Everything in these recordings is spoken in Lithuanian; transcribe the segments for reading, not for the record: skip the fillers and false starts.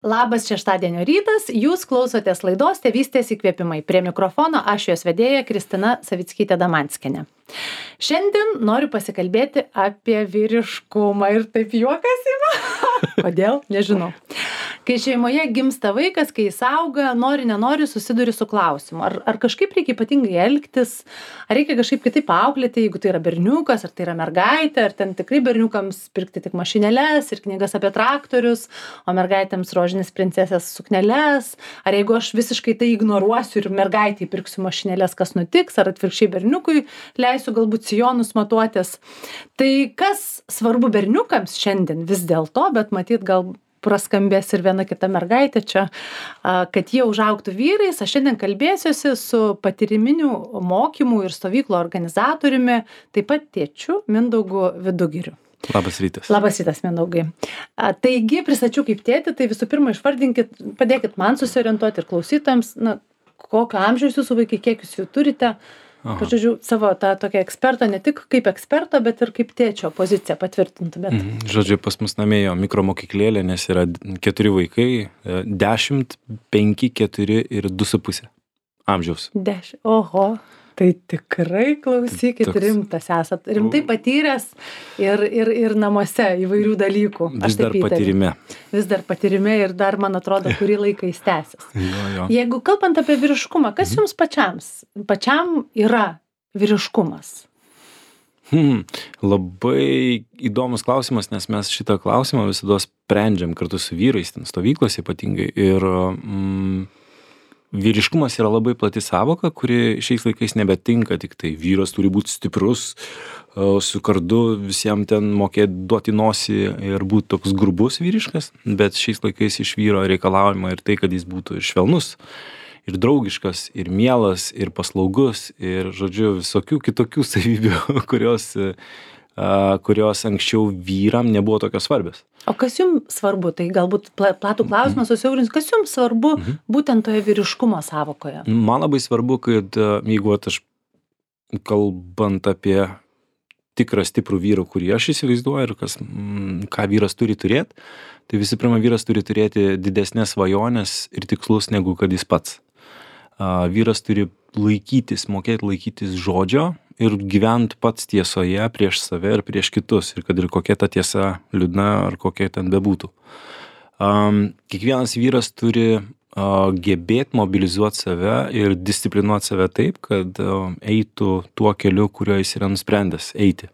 Labas šeštadienio rytas, jūs klausotės laidos Tėvystės įkvėpimai. Prie mikrofono aš jos vedėja Kristina Savickytė-Damanskienė. Šiandien noriu pasikalbėti apie vyriškumą ir taip juokas ima. Kodėl? Nežinau. Kai šeimoje gimsta vaikas, kai jis auga, nenori susiduri su klausimu. Ar kažkaip reikia ypatingai elgtis, ar reikia kažkaip kitaip auklėti, jeigu tai yra berniukas, ar tai yra mergaitė, ar ten tikrai berniukams pirkti tik mašinėles ir knygas apie traktorius, o mergaitėms rožinės princesės sukneles, ar jeigu aš visiškai tai ignoruosiu ir mergaitei pirksiu mašinėles, kas nutiks, ar atvirkščiai berniukui leisiu galbūt sijonus matuotis. Tai kas svarbu berniukams šiandien vis dėlto, bet matyt gal praskambės ir viena kita mergaitė čia, kad jie užaugtų vyrais. Aš šiandien kalbėsiuosi su patyriminių mokymų ir stovyklų organizatoriumi, taip pat tėčiu Mindaugu Vidugiriu. Labas rytas. Labas rytas, Mindaugai. Taigi, pristačiau kaip tėtį, tai visų pirma išvardinkit, padėkit man susiorientuoti ir klausytojams, kokio amžiaus jūsų vaikai, kiek jūs jų turite. Pažiūrėjau, savo tą tokią ekspertą, ne tik kaip eksperto, bet ir kaip tėčio poziciją patvirtintumėt. Žodžiu, pas mus namėjo mikromokyklėlė, nes yra 4 vaikai, 10, 5, 4 ir 2,5 amžiaus. 10, oho. Tai tikrai klausykit, rimtas esat, rimtai patyręs ir namuose įvairių dalykų. Vis dar patyrime. Vis dar patyrime ir dar, man atrodo, kurį laiką jis tęsis. Jo. Jeigu kalbant apie vyriškumą, kas jums pačiam yra vyriškumas? Labai įdomus klausimas, nes mes šitą klausimą visada sprendžiam kartu su vyrais, ten stovyklose ypatingai. Ir vyriškumas yra labai plati savoka, kuri šiais laikais nebetinka, tik tai vyras turi būti stiprus, su kardu visiems ten mokėti duoti nosį ir būti toks grubus vyriškas, bet šiais laikais iš vyro reikalaujama ir tai, kad jis būtų ir švelnus, ir draugiškas, ir mielas, ir paslaugus, ir, žodžiu, visokių kitokių savybių, kurios anksčiau vyram nebuvo tokios svarbios. O kas jums svarbu? Tai galbūt platų klausimą susiaurinsiu. Kas jums svarbu būtent toje vyriškumo savokoje? Man labai svarbu, kad jeigu aš kalbant apie tikrą stiprų vyrą, kurį aš įsivaizduoju ir ką vyras turi turėti, tai visų pirma, vyras turi turėti didesnės svajonės ir tikslus negu kad jis pats. Vyras turi mokėti laikytis žodžio ir gyventi pats tiesoje prieš save ir prieš kitus, ir kad ir kokia ta tiesa liūdna ar kokia ten bebūtų. Kiekvienas vyras turi gebėti mobilizuoti save ir disciplinuoti save taip, kad eitų tuo keliu, kuriuo jis yra nusprendęs eiti.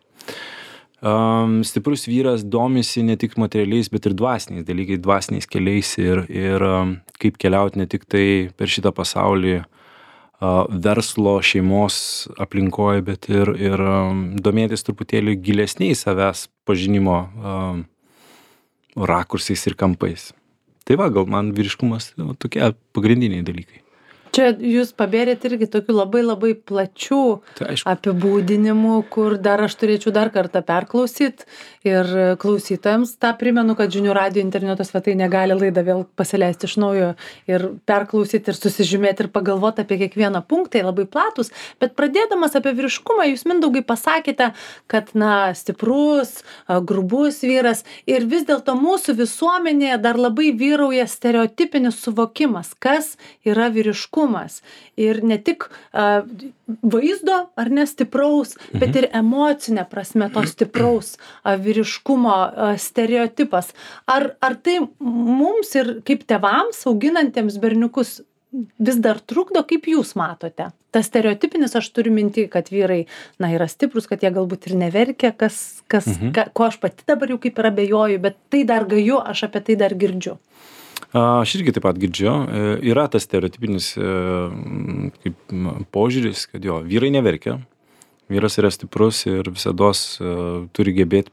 Stiprus vyras domisi ne tik materialiais, bet ir dvasiniais dalykais, dvasiniais keliais ir kaip keliauti ne tik tai per šitą pasaulį verslo, šeimos aplinkoje, bet ir domėtis truputėlį gilesniais savęs pažinimo rakursais ir kampais. Tai va, gal man vyriškumas tokie pagrindiniai dalykai. Čia jūs pabėrėt irgi tokių labai plačių apibūdinimų, kur dar aš turėčiau dar kartą perklausyti ir klausytojams tą primenu, kad Žinių radijo interneto svetainė gali laidą vėl pasileisti iš naujo ir perklausyti ir susižymėti ir pagalvoti apie kiekvieną punktą, labai platus, bet pradėdamas apie vyriškumą, jūs Mindaugai pasakėte, kad stiprus, grubus vyras ir vis dėlto mūsų visuomenėje dar labai vyrauja stereotipinis suvokimas, kas yra vyriškumas. Ir ne tik vaizdo ar stipraus, bet ir emocinė prasme to stipraus vyriškumo stereotipas. Ar tai mums ir kaip tėvams auginantiems berniukus vis dar trukdo, kaip jūs matote? Tas stereotipinis, aš turiu minti, kad vyrai yra stiprus, kad jie galbūt ir neverkia, ko aš pati dabar jau kaip ir abejoju, bet tai dar gaju, aš apie tai dar girdžiu. Aš irgi taip pat girdžiu. Yra tas stereotipinis požiūris, kad vyrai neverkia, vyras yra stiprus ir visados turi gebėti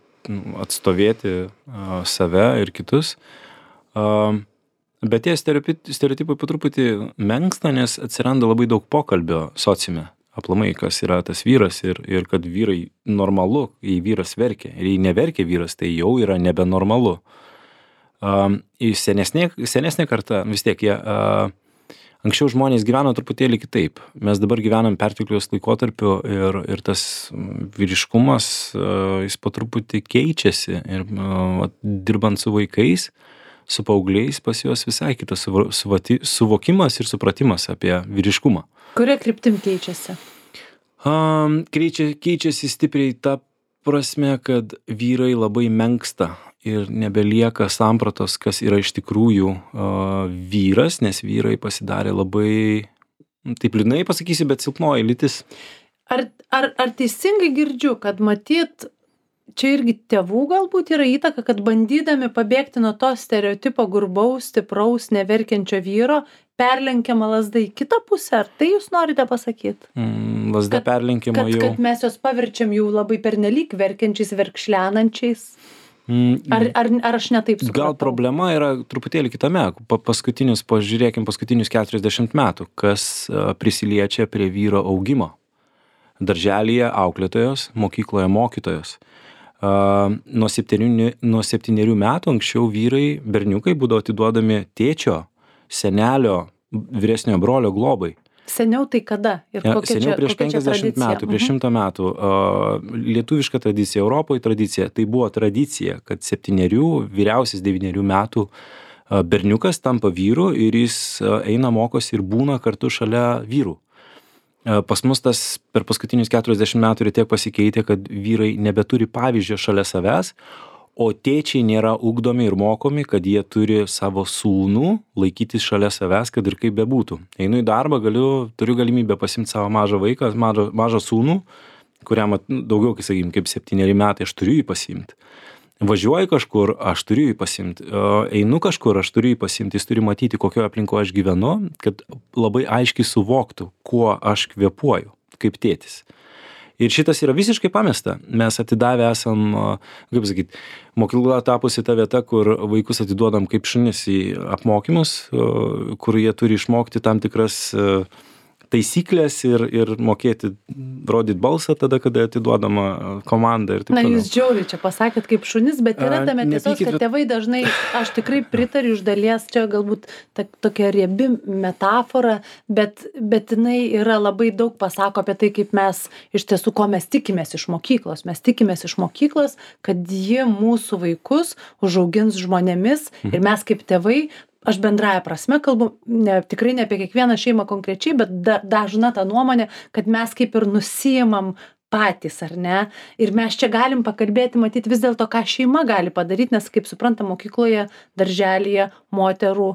atstovėti save ir kitus. Bet tie stereotipai po truputį menksta, nes atsiranda labai daug pokalbio sociume. Aplamai, kas yra tas vyras ir kad vyrai normalu, jei vyras verkia. Ir jei neverkia vyras, tai jau yra nebenormalu. Senesnė karta, vis tiek jie Anksčiau žmonės gyveno truputėlį kitaip. Mes dabar gyvenam pertekliaus laikotarpiu ir tas vyriškumas, jis po truputį keičiasi. Ir dirbant su vaikais, su paaugliais pas juos visai kitas suvokimas ir supratimas apie vyriškumą. Kuria kryptim keičiasi? Keičiasi stipriai ta prasme, kad vyrai labai menksta ir nebelieka sampratos, kas yra iš tikrųjų vyras, nes vyrai pasidarė labai, taip liūdnai pasakysiu, bet silpnoji lytis. Ar teisingai girdžiu, kad matyt, čia irgi tėvų galbūt yra įtaka, kad bandydami pabėgti nuo to stereotipo gurbaus, stipraus, neverkiančio vyro, perlenkiama lazda į kitą pusę? Ar tai jūs norite pasakyti? Lazda perlenkiama jau. Kad mes jos paverčiam jau labai pernelyg verkiančiais, verkšlenančiais? Ar aš netaip supratau? Gal problema yra truputėlį kitame. Pažiūrėkim paskutinius 40 metų, kas prisiliečia prie vyro augimo. Darželyje auklėtojos, mokykloje mokytojos. Nuo 7 metų anksčiau vyrai, berniukai būdavo atiduodami tėčio, senelio, vyresnio brolio globai. Seniau tai kada? Seniau prieš 50 metų, prieš 100 metų. Lietuviška tradicija, Europoje tradicija. Tai buvo tradicija, kad 7, vyriausias 9 metų berniukas tampa vyru ir jis eina, mokosi ir būna kartu šalia vyrų. Pas mus tas per paskutinius 40 metų ir tiek pasikeitė, kad vyrai nebeturi pavyzdžio šalia savęs, o tėčiai nėra ugdomi ir mokomi, kad jie turi savo sūnų laikytis šalia savęs, kad ir kaip bebūtų. Einu į darbą, turiu galimybę pasimti savo mažą vaiką, mažą sūnų, kuriam daugiau, kaip 7 metai, aš turiu jį pasimti. Važiuoju kažkur, aš turiu jį pasimti. Einu kažkur, aš turiu jį pasimti. Jis turi matyti, kokioje aplinkoje aš gyvenu, kad labai aiškiai suvoktų, kuo aš kvėpuoju, kaip tėtis. Ir šitas yra visiškai pamesta. Mes atidavę esam, kaip sakyti, mokykla tapusi ta vieta, kur vaikus atiduodam kaip šunis į apmokymus, kur jie turi išmokti tam tikras taisyklės ir mokėti rodyti balsą tada, kada atiduodama komanda ir taip toliau. Na, jūs žiauriai čia pasakėt kaip šunis, bet yra tame tiesos, kad tėvai dažnai, aš tikrai pritariu iš dalies, čia galbūt tokia riebi metafora, bet jinai yra labai daug pasako apie tai, kaip mes iš tiesų, ko mes tikimės iš mokyklos. Mes tikimės iš mokyklos, kad jie mūsų vaikus užaugins žmonėmis ir mes kaip tėvai, aš bendraja prasme kalbu, tikrai ne apie kiekvieną šeimą konkrečiai, bet dažna ta nuomonė, kad mes kaip ir nusiimam patys, ar ne? Ir mes čia galim pakalbėti, matyti vis dėlto, ką šeima gali padaryti, nes, kaip supranta, mokykloje, darželyje, moterų,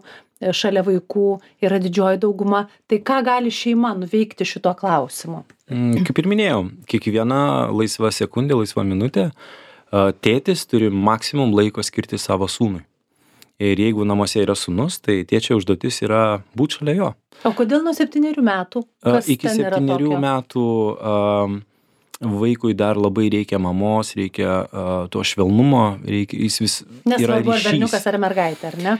šalia vaikų yra didžioji dauguma. Tai ką gali šeima nuveikti šito klausimu? Kaip ir minėjau, kiekviena laisva sekundė, laisva minutė, tėtis turi maksimum laiko skirti savo sūnui. Ir jeigu namuose yra sūnus, tai tėčio užduotis yra būti šalia jo. O kodėl nuo 7 metų? Iki 7 metų vaikui dar labai reikia mamos, reikia to švelnumo, jis vis yra ryšys. Nesvarbu, ar berniukas ar mergaitė, ar ne?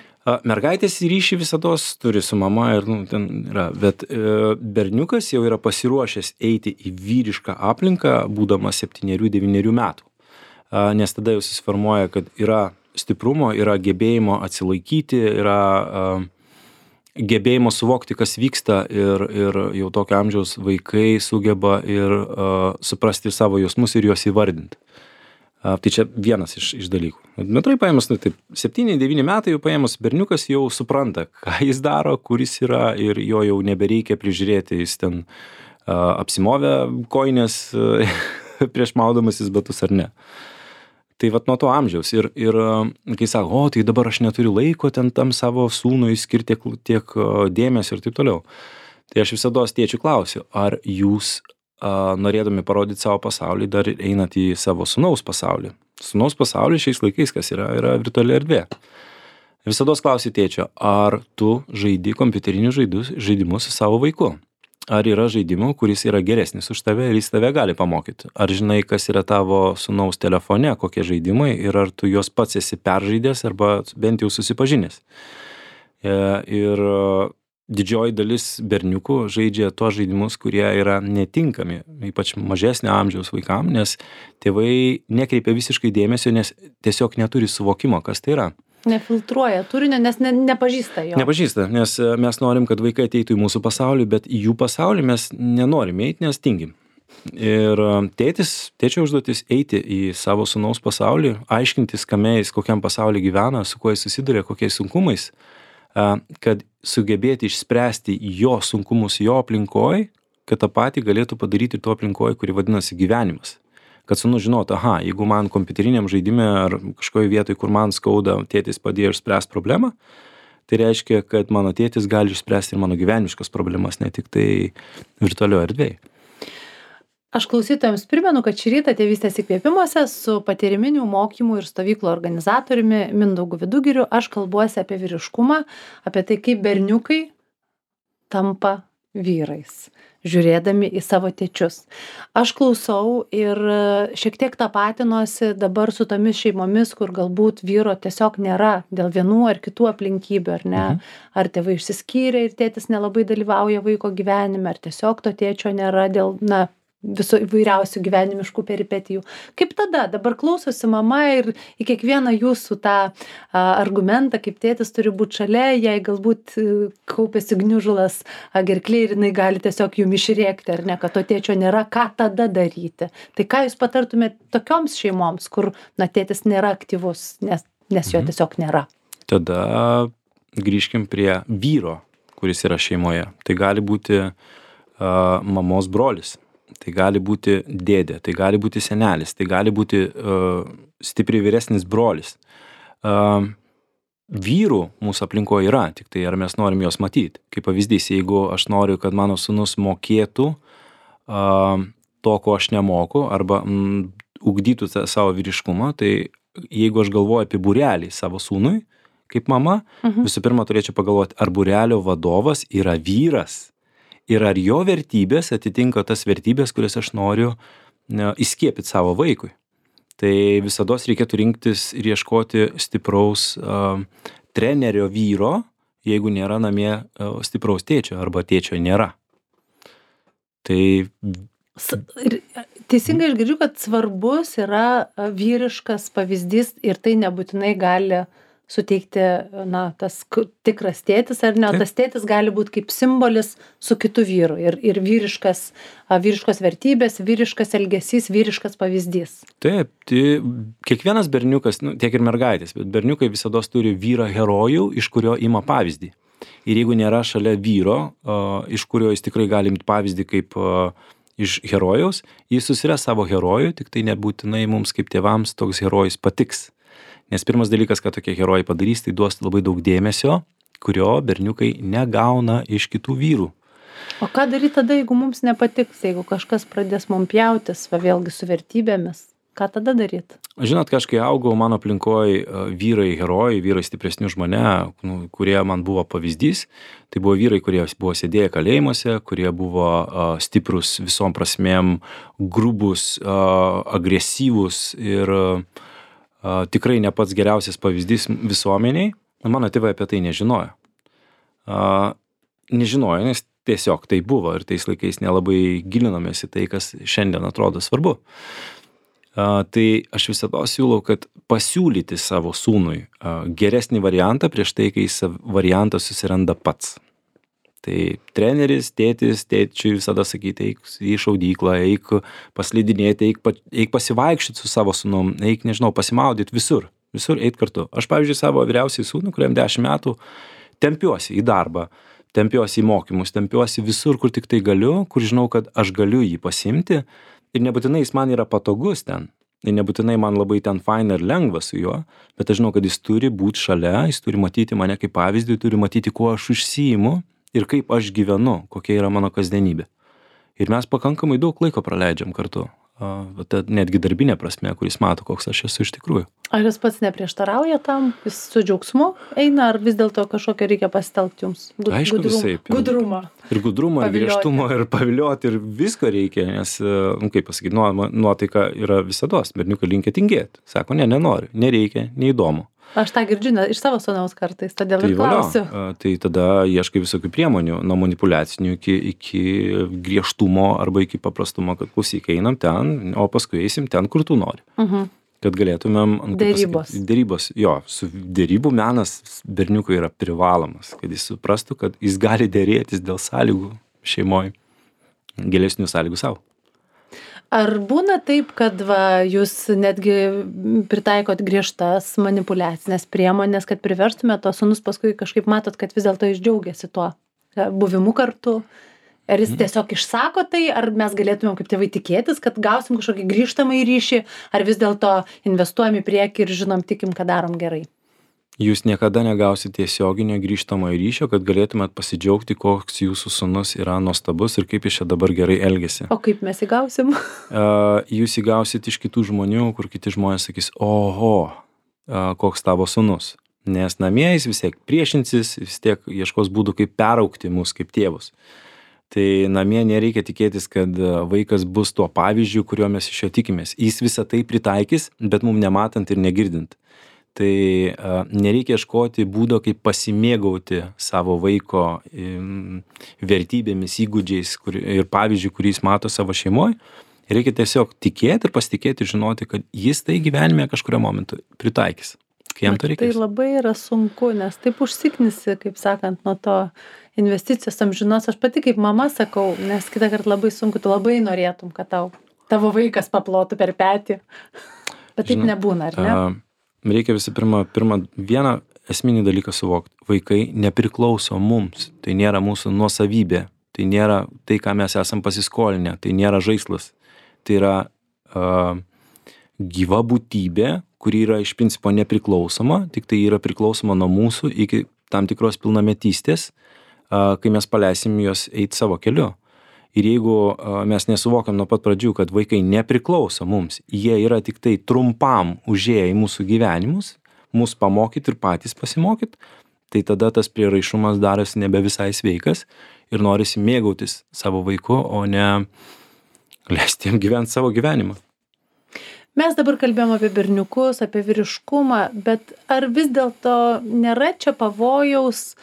Mergaitės ryšį visados turi su mama ir ten yra, bet berniukas jau yra pasiruošęs eiti į vyrišką aplinką, būdamas 7-9 metų. Nes tada jau susiformuoja, kad yra stiprumo, yra gebėjimo atsilaikyti, yra gebėjimo suvokti, kas vyksta ir jau tokio amžiaus vaikai sugeba ir suprasti savo jausmus ir juos įvardinti. Tai čia vienas iš dalykų. Bendrai paėmus, 7-9 metai jau paėmus berniukas jau supranta, ką jis daro, kur jis yra ir jo jau nebereikia prižiūrėti, jis ten apsimovė kojines prieš maudamasis batus ar ne. Tai vat nuo to amžiaus ir kai sako, tai dabar aš neturiu laiko ten tam savo sūnui skirti tiek dėmesio ir taip toliau. Tai aš visados tėčių klausiu, ar jūs norėdami parodyti savo pasaulį dar einat į savo sūnaus pasaulį. Sūnaus pasaulį šiais laikais, kas yra virtuali erdvė. Visados klausiu tėčio, ar tu žaidi kompiuterinius žaidimus su savo vaiku? Ar yra žaidimų, kuris yra geresnis už tave ir jis tave gali pamokyti? Ar žinai, kas yra tavo sūnaus telefone, kokie žaidimai ir ar tu juos pats esi peržaidęs arba bent jau susipažinęs? Ir didžioji dalis berniukų žaidžia tuos žaidimus, kurie yra netinkami, ypač mažesnio amžiaus vaikam, nes tėvai nekreipia visiškai dėmesio, nes tiesiog neturi suvokimo, kas tai yra. Nefiltruoja turinio, nes nepažįsta jo. Nepažįsta, nes mes norim, kad vaikai ateitų į mūsų pasaulį, bet į jų pasaulį mes nenorim eiti, nes tingim. Ir tėčio užduotis eiti į savo sūnaus pasaulį, aiškintis, kame jis, kokiam pasaulyje gyvena, su kuo jis susiduria, kokiais sunkumais, kad sugebėti išspręsti jo sunkumus jo aplinkoj, kad tą patį galėtų padaryti ir to aplinkoj, kuri vadinasi gyvenimas. Kad sūnus žinotų, jeigu man kompiuteriniam žaidime ar kažkoje vietoje, kur man skauda, tėtis padėjo išspręsti problemą, tai reiškia, kad mano tėtis gali išspręsti ir mano gyvenimiškas problemas, ne tik tai virtualioje erdvėje. Aš klausytojams primenu, kad šį rytą Tėvystės įkvėpimuose su patyriminių mokymų ir stovyklų organizatoriumi Mindaugu Vidugiriu aš kalbuosi apie vyriškumą, apie tai, kaip berniukai tampa vyrais, žiūrėdami į savo tėčius. Aš klausau ir šiek tiek tapatinuosi dabar su tomis šeimomis, kur galbūt vyro tiesiog nėra dėl vienų ar kitų aplinkybių, ar ne? Ar tėvai išsiskyrė ir tėtis nelabai dalyvauja vaiko gyvenime, ar tiesiog to tėčio nėra dėl, viso įvairiausių gyvenimiškų peripetijų. Kaip tada? Dabar klausosi mama ir į kiekvieną jūsų tą argumentą, kaip tėtis turi būti šalia, jei galbūt kaupėsi gniužulas gerklėj ir jinai gali tiesiog jum išrėkti, ar ne, kad to tėčio nėra, ką tada daryti. Tai ką jūs patartumėte tokioms šeimoms, kur tėtis nėra aktyvus, nes jo tiesiog nėra? Tada grįžkim prie vyro, kuris yra šeimoje. Tai gali būti mamos brolis. Tai gali būti dėdė, tai gali būti senelis, tai gali būti stipriai vyresnis brolis. Vyrų mūsų aplinkoje yra, tik tai ar mes norim juos matyti. Kaip pavyzdys, jeigu aš noriu, kad mano sūnus mokėtų to, ko aš nemoku, arba ugdytų savo vyriškumą, tai jeigu aš galvoju apie būrelį savo sūnui, kaip mama, visų pirma turėčiau pagalvoti, ar būrelio vadovas yra vyras. Ir ar jo vertybės atitinka tas vertybės, kurias aš noriu įskiepyti savo vaikui. Tai visados reikėtų rinktis ir ieškoti stipraus trenerio vyro, jeigu nėra namie stipraus tėčio arba tėčio nėra. Tai... Teisingai aš girdžiu, kad svarbus yra vyriškas pavyzdys ir tai nebūtinai gali suteikti, tas tikras tėtis, ar ne, o tas tėtis gali būti kaip simbolis su kitu vyru ir vyriškos vertybės, vyriškas elgesys, vyriškas pavyzdys. Taip, tai kiekvienas berniukas, tiek ir mergaitės, bet berniukai visados turi vyrą herojų, iš kurio ima pavyzdį. Ir jeigu nėra šalia vyro, iš kurio jis tikrai gali imti pavyzdį kaip iš herojaus, jis susiras savo herojų, tik tai nebūtinai mums kaip tėvams toks herojus patiks. Nes pirmas dalykas, kad tokie herojai padarys, tai duos labai daug dėmesio, kurio berniukai negauna iš kitų vyrų. O ką daryti tada, jeigu mums nepatiks, jeigu kažkas pradės mums pjautis, vėlgi su vertybėmis? Ką tada daryti? Žinot, kai augau mano aplinkoje vyrai herojai, vyrai stipresni už mane, kurie man buvo pavyzdys, tai buvo vyrai, kurie buvo sėdėję kalėjimuose, kurie buvo stiprus visom prasmėm, grubus, agresyvus ir tikrai ne pats geriausias pavyzdys visuomeniai. Mano tėvai apie tai nežinojo. Nežinojo, nes tiesiog tai buvo ir tais laikais nelabai gilinomės į tai, kas šiandien atrodo svarbu. Tai aš visada siūlau, kad pasiūlyti savo sūnui geresnį variantą prieš tai, kai jis variantą susiranda pats. Tai treneris, tėčiui visada sakyti, eik į šaudyklą, eik paslidinėti, eik pasivaikščioti su savo sūnum, eik, pasimaudyti visur eit kartu. Aš, pavyzdžiui, savo vyriausiai sūnų, kuriam 10 metų, tempiuosi į darbą, tempiuosi į mokymus, tempiuosi visur, kur tik tai galiu, kur žinau, kad aš galiu jį pasimti ir nebūtinai jis man yra patogus ten. Ir nebūtinai man labai ten faina ir lengva su juo, bet aš žinau, kad jis turi būti šalia, jis turi matyti mane kaip pavyzdį, turi matyti, kuo aš užsiimu ir kaip aš gyvenu, kokia yra mano kasdienybė. Ir mes pakankamai daug laiko praleidžiam kartu, netgi darbinė prasme, kuris mato, koks aš esu iš tikrųjų. Ar jis pats neprieštarauja tam, jis su džiaugsmu eina, ar vis dėlto kažkokią reikia pasitelkti jums? Aišku, visaip. Gudrumą. Ir gudrumą, ir griežtumą, ir pavilioti, ir visko reikia, nes, kaip pasakyti, nuotaika yra visados, berniukai linkę tingėti. Sako, nenoriu, nereikia, neįdomu. Aš tą girdžiu iš savo sūnaus kartais, todėl ir klausiu. Tai tada ieškai visokių priemonių, nuo manipuliacinių iki griežtumo arba iki paprastumo, kad klausyk, einam ten, o paskui eisim ten, kur tu nori. Kad galėtumėm... Dėrybos. Jo, su dėrybų menas berniukui yra privalomas, kad jis suprastų, kad jis gali dėrėtis dėl sąlygų šeimoje, gilesnių sąlygų savo. Ar būna taip, kad jūs netgi pritaikot griežtas manipuliacinės priemonės, kad priverstumėt to sūnus, paskui kažkaip matot, kad vis dėlto jis džiaugiasi tuo buvimu kartu? Ar jis tiesiog išsako tai, ar mes galėtumėm kaip tėvai tikėtis, kad gausim kažkokį grįžtamą ryšį, ar vis dėlto investuojam į priekį ir žinom, tikim, kad darom gerai? Jūs niekada negausit tiesioginio grįžtamojo ryšio, kad galėtumėt pasidžiaugti, koks jūsų sūnus yra nuostabus ir kaip jis čia dabar gerai elgiasi. O kaip mes įgausim? Jūs įgausit iš kitų žmonių, kur kiti žmonės sakys, oho, koks tavo sūnus. Nes namie jis vis tiek priešinsis, vis tiek ieškos būdų, kaip peraugti mus kaip tėvus. Tai namie nereikia tikėtis, kad vaikas bus tuo pavyzdžiu, kuriuo mes iš jo tikimės. Jis visą tai pritaikys, bet mums nematant ir negirdint. Tai nereikia ieškoti būdo, kaip pasimėgauti savo vaiko vertybėmis, įgūdžiais ir pavyzdžiui, kurį jis mato savo šeimoje. Reikia tiesiog tikėti ir pasitikėti ir žinoti, kad jis tai gyvenime kažkurio momentu pritaikys, kai jam to reikės. Tai labai yra sunku, nes taip užsiknisi, kaip sakant, nuo to investicijos amžinos. Aš pati kaip mama sakau, nes kitą kartą labai sunku, tu labai norėtum, kad tavo vaikas paplotų per petį. Bet taip nebūna, ar ne? Reikia visų pirma vieną esminį dalyką suvokti. Vaikai nepriklauso mums, tai nėra mūsų nuosavybė, tai nėra tai, ką mes esam pasiskolinę, tai nėra žaislas. Tai yra gyva būtybė, kuri yra iš principo nepriklausoma, tik tai yra priklausoma nuo mūsų iki tam tikros pilnametystės, kai mes paleisim juos eiti savo keliu. Ir jeigu mes nesuvokiam nuo pat pradžių, kad vaikai nepriklauso mums, jie yra tik tai trumpam užėję į mūsų gyvenimus, mus pamokyti ir patys pasimokyti, tai tada tas prieraišumas darosi nebe visai sveikas ir norisi mėgautis savo vaiku, o ne leisti jam gyventi savo gyvenimą. Mes dabar kalbėjom apie berniukus, apie vyriškumą, bet ar vis dėlto nėra čia pavojaus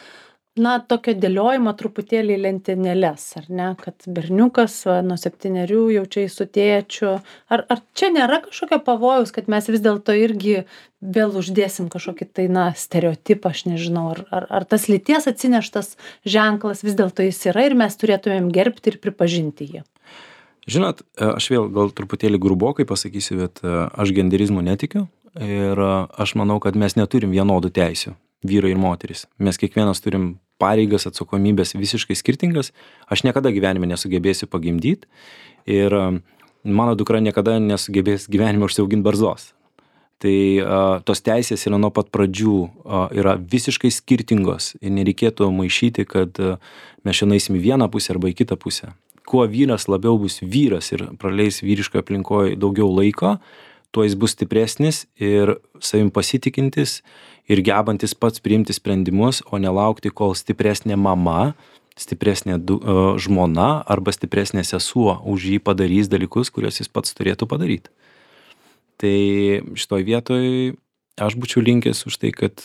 tokio dėliojimo truputėlį lentynėles, ar ne, kad berniukas nuo 7 jau čia su tėčiu. Ar čia nėra kažkokio pavojaus, kad mes vis dėlto irgi vėl uždėsim kažkokį tai, stereotipą, aš nežinau, ar tas lyties atsineštas ženklas vis dėlto jis yra ir mes turėtumėm gerbti ir pripažinti jį? Žinot, aš vėl gal truputėlį grubokai pasakysiu, bet aš genderizmu netikiu ir aš manau, kad mes neturim vienodų teisių, vyrai ir moteris. Mes kiekvienas turim pareigas, atsakomybės visiškai skirtingas. Aš niekada gyvenime nesugebėsiu pagimdyti ir mano dukra niekada nesugebės gyvenime užsiauginti barzdos. Tai tos teisės yra nuo pat pradžių yra visiškai skirtingos ir nereikėtų maišyti, kad mes šiandien eisim į vieną pusę arba į kitą pusę. Kuo vyras labiau bus vyras ir praleis vyriškoje aplinkoje daugiau laiko, tuo jis bus stipresnis ir savim pasitikintis ir gebantis pats priimti sprendimus, o nelaukti, kol stipresnė mama, stipresnė žmona arba stipresnė sesuo už jį padarys dalykus, kuriuos jis pats turėtų padaryti. Tai šitoj vietoj aš būčiau linkęs už tai, kad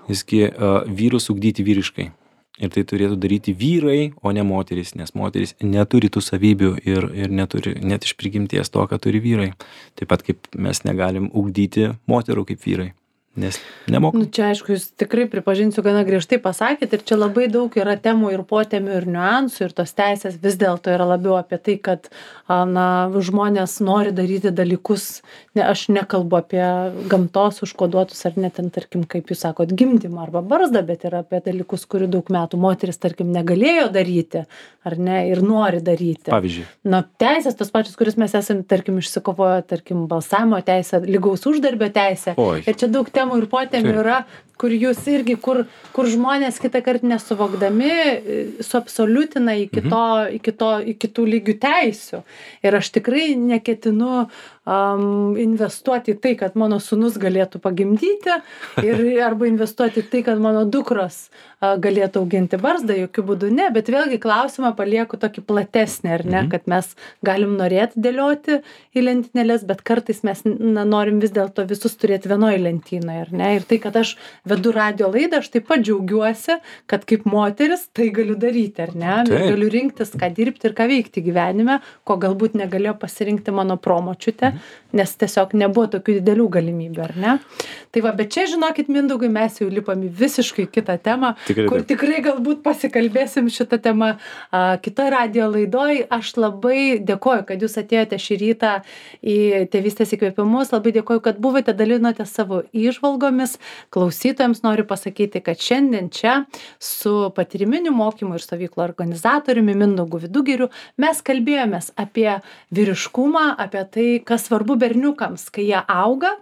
visgi vyrus ugdyti vyriškai. Ir tai turėtų daryti vyrai, o ne moteris, nes moteris neturi tų savybių ir neturi net iš prigimties to, ką turi vyrai. Taip pat kaip mes negalim ugdyti moterų kaip vyrai, nes nemokam. Čia aišku, jūs tikrai pripažinsiu, gana griežtai pasakėt ir čia labai daug yra temų ir potemių ir niuansų ir tos teisės vis dėlto yra labiau apie tai, kad žmonės nori daryti dalykus, aš nekalbu apie gamtos užkoduotus ar net ten, tarkim, kaip jūs sakot, gimdymą arba barzdą, bet yra apie dalykus, kurių daug metų moteris, tarkim, negalėjo daryti, ar ne, ir nori daryti. Pavyzdžiui. Teisės tos pačios, kuris mes esame, tarkim, išsikovoję, tarkim, balsavimo teisę, lygaus uždarbio teisę. Ir čia daug temų ir potemių yra, kur jūs irgi, kur žmonės kitą kartą nesuvokdami suabsoliutina iki kitų lygių teisių. Ir aš tikrai neketinu investuoti į tai, kad mano sūnus galėtų pagimdyti arba investuoti į tai, kad mano dukros galėtų auginti barzdą, jokių būdų ne, bet vėlgi klausimą palieku tokį platesnį, ar ne, kad mes galim norėti dėlioti į lentynėles, bet kartais mes norim vis dėlto visus turėti vienoje lentynoje, ar ne, ir tai, kad aš vedu radijo laidą, aš taip pat džiaugiuosi, kad kaip moteris tai galiu daryti, ar ne, galiu rinktis, ką dirbti ir ką veikti gyvenime, ko galbūt negalėjo pasirinkti mano promočiutė, nes tiesiog nebuvo tokių didelių galimybių, ar ne? Tai va, bet čia, žinokit, Mindaugai, mes jau lipam į visiškai kitą temą, kur tikrai galbūt pasikalbėsim šitą temą kitoje radijo laidoj. Aš labai dėkoju, kad jūs atėjote šį rytą į Tėvystės įkvėpimus, labai dėkoju, kad buvote, dalinote savo įžvalgomis. Klausytojams noriu pasakyti, kad šiandien čia su patyriminiu mokymu ir stovyklų organizatoriumi Mindaugu Vidugiriu mes kalbėjomės apie vyriškumą, apie tai, kas svarbu berniukams, kai jie auga.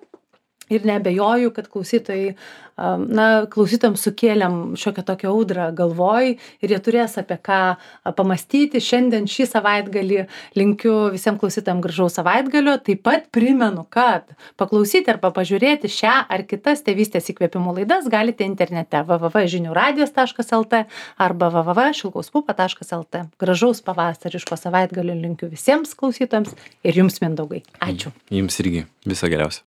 Ir neabejoju, kad klausytojams sukėlėm šiokią tokią audrą galvoj ir jie turės apie ką pamastyti. Šiandien šį savaitgalį linkiu visiems klausytojams gražaus savaitgalio. Taip pat primenu, kad paklausyti arba pažiūrėti šią ar kitas Tėvystės įkvėpimų laidas galite internete www.žiniuradijas.lt arba www.šilkauspupa.lt. Gražaus pavasariško savaitgalio linkiu visiems klausytojams ir jums, Mindaugai. Ačiū. Jums irgi. Viso geriausio.